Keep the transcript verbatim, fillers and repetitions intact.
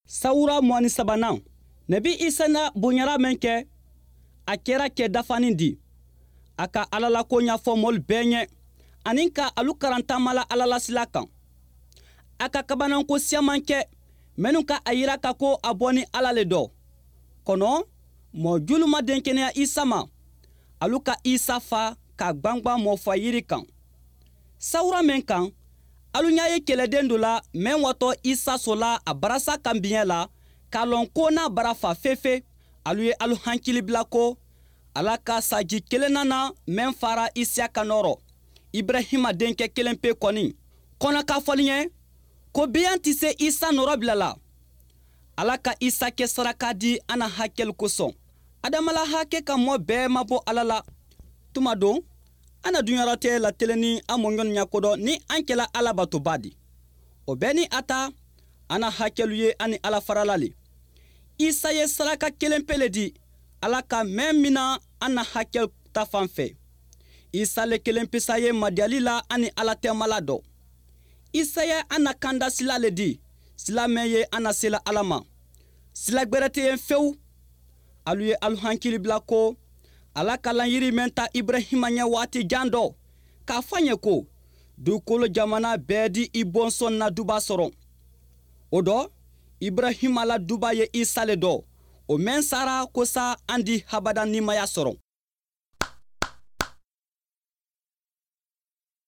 Sawura mugan ni sabanan, Nabi Isa na bonyara mɛn kɛ, a kɛra kɛ dafanin di. A ka Ala la ko ɲɛfɔ mɔlu bɛɛ ɲɛ ani ka alu karan taama la Ala la sila kan. A ka kabananko siyaman kɛ minnu ka a yira ka ko a bɔ ni Ala le dɔ. Kɔnɔ mɔɔ julu ma denkɛnɛya Isa ma, alu ka Isa fa ka gbangban mɔfa yiri kan. Sawura mɛn kan, alu ɲa ye kɛlɛden dɔ la mɛn watɔ Isa sola a barasa kan biɲɛ la k'a lɔn ko n'a bara fa fefe. Alu ye alu hankili bila ko Ala ka saji kelenna na mɛn fara Isiyaka nɔrɔ, Ibrahima denkɛ kelen pe kɔni. Kɔnɔ k'a fɔli ɲɛ ko biyan tɛ se Isa nɔrɔ bila la. Ala ka Isa kɛ saraka di an na hakɛli kosɔn. Adama la hakɛ ka mɔ bɛɛ ma bɔ Ala la. Tuma don an na dunyɔrɔtɛ lateleni an mɔɲɔni ɲakodɔn ni an kɛla Ala batoba di. O bɛɛ ni a ta, an na hakɛlu ye an ni Ala farala le. Isa ye saraka kelen pe le di Ala ka mɛn min na an na hakɛ ta fan fɛ. Isa le kelen pesa ye madiyali la an ni Ala tɛmala dɔ. Isa ye an na kanda sila le di, sila mɛn ye an na sela Ala ma. Sila gbɛrɛ tɛ yen fewu. Alu ye alu hankili bila ko Ala ka layiri mɛn ta Ibrahima ɲɛ waati jan dɔ, k'a fɔ a ɲɛ ko dugukolo jamana bɛɛ di i bɔnsɔn na duba sɔrɔ. O dɔ, Ibrahima la duba ye Isa le dɔ, o mɛn sara kosa an di habada nimaya sɔrɔ.